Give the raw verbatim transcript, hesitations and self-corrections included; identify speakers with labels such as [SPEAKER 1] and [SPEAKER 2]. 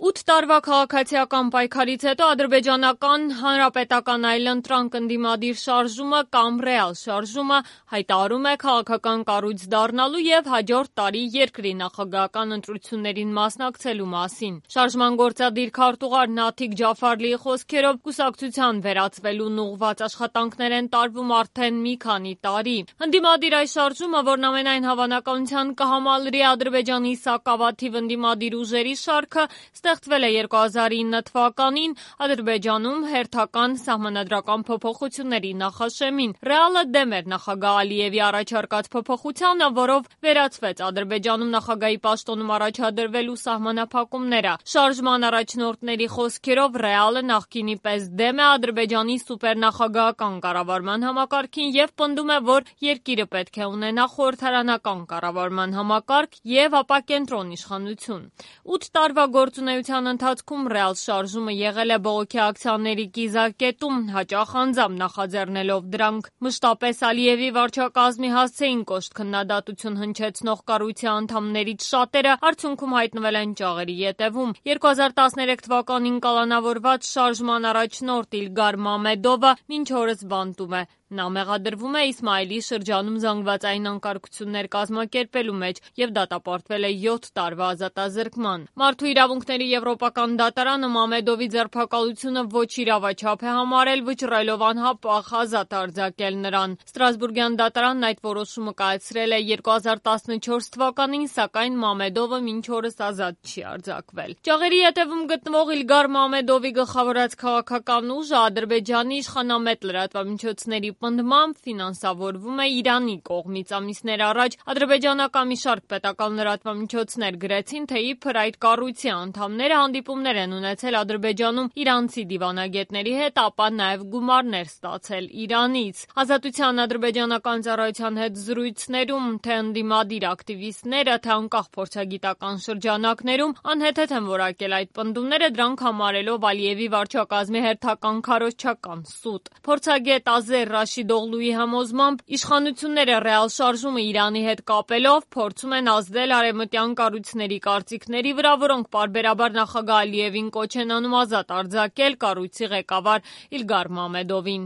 [SPEAKER 1] Ութ տարվա քաղաքացիական պայքարից հետո ադրբեջանական հանրապետական այլընտրանք ընդդիմադիր շարժումը կամ ռեալ շարժումը հայտարարում է քաղաքական կառույց դառնալու եւ հաջորդ տարի երկրի նախագահական ընտրություններին մասնակցելու մասին։ Շարժման գործադիր քարտուղար Նաթիկ Ջաֆարլիի խոսքերով կուսակցության վերածվելուն ուղղված աշխատանքներ են տարվում արդեն մի քանի տարի։ Ընդդիմադիր այս շարժումը, որն ամենայն հավանականության կհամալրի Ադրբեջանի սակավաթիվ ընդդիմադիր ուժերի շարքը, ստեղծվել է երկու հազար ինը թվականին Ադրբեջանում հերթական սահմանադրական փոփոխությունների նախաշեմին։ Ռեալը դեմ էր նախագահ Ալիևի առաջարկած փոփոխությանը, որով վերացվեց Ադրբեջանում նախագահի պաշտոնում առաջադրվելու սահմանափակումները։ Շարժման առաջնորդների խոսքերով Ռեալը նախկինի պես դեմ է Ադրբեջանի սուպերնախագահական կառավարման համակարգին եւ պնդում է, որ երկիրը պետք է ունենա խորհրդարանական կառավարման համակարգ եւ ապակենտրոն իշխանություն։ Ութ տարվա գործունեության ընթացքում ռեալ շարժումը եղել է բողոքի ակցիաների կիզակետում, հաճախ անձամբ նախաձեռնելով դրանք։ Մշտապես Ալիևի վարչակազմի հասցեին կոշտ քննադատություն հնչեցնող կառույցի անդամներից շատերը արդյունքում հայտնվել են ճաղերի ետևում։ երկու հազար տասներեք թվականին կալանավորված շարժման առաջնորդ Իլգար Մամեդովը մինչ օրս բանտում է։ Նա մեղադրվում է Իսմայիլի շրջանում զանգվածային անկարգություններ կազմակերպելու մեջ եւ դատապարտվել է յոթ տարվա ազատազրկման։ Մարդու իրավունքների եվրոպական դատարանը Մամեդովի ձերբակալությունը ոչ իրավաչափ է համարել, վճռելով անհապաղ ազատ արձակել նրան։ Ստրասբուրգյան դատարանն այդ որոշումը կայացրել է երկու հազար տասնչորս թվականին, սակայն Մամեդովը մինչ օրս ազատ չի արձակվել։ Ճաղերի ետևում գտնվող Իլգար Մամեդովի գլխավորած քաղաքական ուժը Ադրբեջանի իշխանամետ լրատվամիջոցների պնդմամբ ֆինանսավորվում է Իրանի կողմից։ Ամիսներ առաջ ադրբեջանական մի շարք պետական լրատվամիջոցներ գրեցին, թե իբր այդ կառույցի անդամները հանդիպումներ են ունեցել Ադրբեջանում իրանցի դիվանագետների հետ, ապա նաև գումարներ ստացել Իրանից։ Ազատության ադրբեջանական ծառայության հետ զրույցներում թե ընդդիմադիր ակտիվիստները, թե անկախ փորձագիտական շրջանակներում անհեթեթ են որակել այդ պնդումները, դրանք համարելով Ալիևի վարչակազմի հերթական քարոզչական սուտ։ Փորձագետ Ազեր Ռաշիդօղլուի համոզմամբ իշխանությունները ռեալ շարժումը Իրանի հետ կապելով փորձում են ազդել արևմտյան կառույցների կարծիքների վրա, որոնք պարբերաբար նախագահ Ալիևին կոչ են անում ազատ արձակել կառույցի ղեկավար Իլգար Մամեդովին։